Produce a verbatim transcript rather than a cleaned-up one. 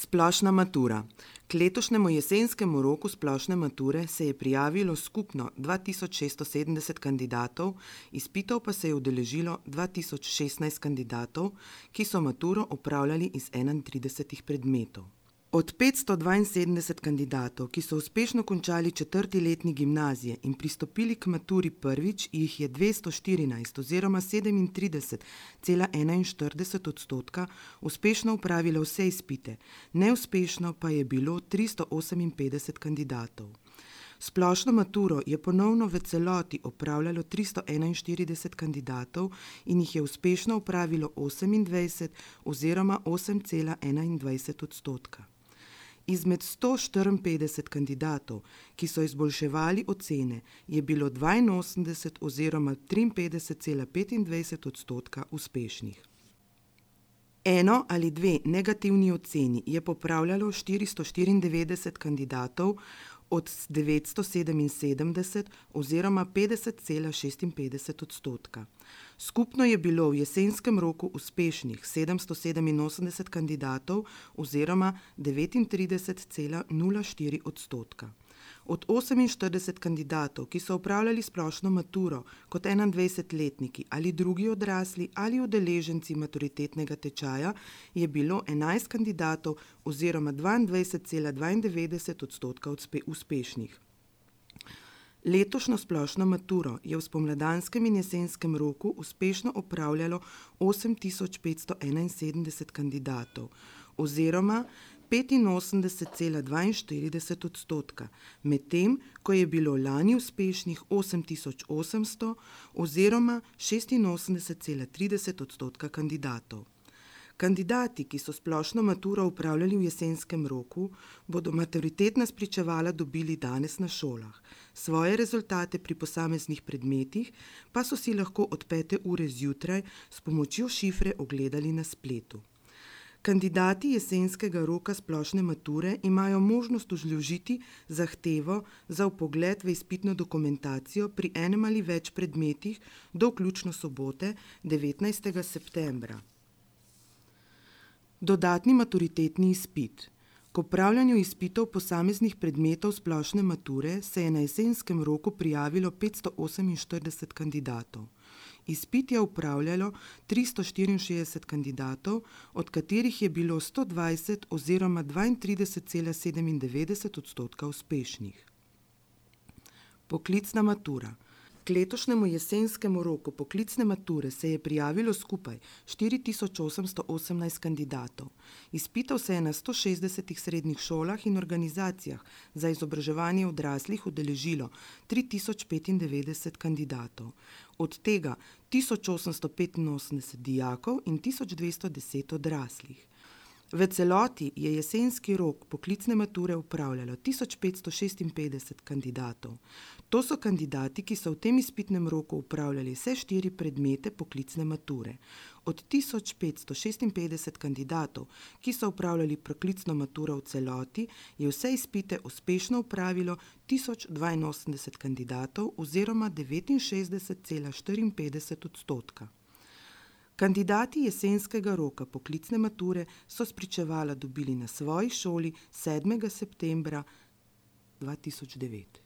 Splošna matura. K letošnjemu jesenskemu roku splošne mature se je prijavilo skupno dva tisoč šeststo sedemdeset kandidatov, izpitov pa se je udeležilo dva tisoč šestnajst kandidatov, ki so maturo opravljali iz enaintridesetih predmetov. Od petsto dvainsedemdeset kandidatov, ki so uspešno končali četrti letnik gimnazije in pristopili k maturi prvič, jih je dvesto štirinajst oziroma sedemintrideset cela enainštirideset odstotka uspešno opravilo vse izpite, neuspešno pa je bilo tristo oseminpetdeset kandidatov. Splošno maturo je ponovno v celoti opravljalo tristo enainštirideset kandidatov in jih je uspešno opravilo osemindvajset oziroma osem cela enaindvajset odstotka. Izmed sto štiriinpetdeset kandidatov, ki so izboljševali ocene, je bilo dvainosemdeset oziroma triinpetdeset cela petindvajset odstotka uspešnih. Eno ali dve negativni oceni je popravljalo štiristo štiriindevetdeset kandidatov od devetsto sedeminsedemdeset oziroma petdeset cela šestinpetdeset odstotka. Skupno je bilo v jesenskem roku uspešnih sedemsto sedeminosemdeset kandidatov oziroma devetintrideset cela nula štiri odstotka. Od oseminštirideset kandidatov, ki so opravljali splošno maturo kot enaindvajsetletniki ali drugi odrasli ali udeleženci maturitetnega tečaja, je bilo enajst kandidatov oziroma dvaindvajset cela dvaindevetdeset odstotka uspešnih. Letošnjo splošno maturo je v spomladanskem in jesenskem roku uspešno opravljalo osem tisoč petsto enainsedemdeset kandidatov oziroma petinosemdeset cela dvainštirideset odstotka, medtem ko je bilo lani uspešnih osem tisoč osemsto oziroma šestinosemdeset cela trideset odstotka kandidatov. Kandidati, ki so splošno maturo opravljali v jesenskem roku, bodo maturitetna spričevala dobili danes na šolah. Svoje rezultate pri posameznih predmetih pa so si lahko od pete ure zjutraj s pomočjo šifre ogledali na spletu. Kandidati jesenskega roka splošne mature imajo možnost vložiti zahtevo za vpogled v izpitno dokumentacijo pri enem ali več predmetih do vključno sobote devetnajstega septembra. Dodatni maturitetni izpit. K opravljanju izpitov posameznih predmetov splošne mature se je na jesenskem roku prijavilo petsto oseminštirideset kandidatov. Izpit je opravljalo tristo štiriinšestdeset kandidatov, od katerih je bilo sto dvajset oziroma dvaintrideset cela sedemindevetdeset odstotka uspešnih. Poklicna matura. K letošnjemu jesenskemu roku poklicne mature se je prijavilo skupaj štiri tisoč osemsto osemnajst kandidatov. Izpitov se je na sto šestdesetih srednjih šolah in organizacijah za izobraževanje odraslih udeležilo tri tisoč petindevetdeset kandidatov, od tega tisoč osemsto petinosemdeset dijakov in tisoč dvesto deset odraslih. V celoti je jesenski rok poklicne mature opravljalo tisoč petsto šestinpetdeset kandidatov. To so kandidati, ki so v tem izpitnem roku opravljali vse štiri predmete poklicne mature. Od tisoč petsto šestinpetdeset kandidatov, ki so opravljali poklicno maturo v celoti, je vse izpite uspešno opravilo tisoč dvainosemdeset kandidatov oziroma devetinšestdeset cela štiriinpetdeset odstotka. Kandidati jesenskega roka poklicne mature so spričevala dobili na svoji šoli sedmega septembra dva tisoč devet.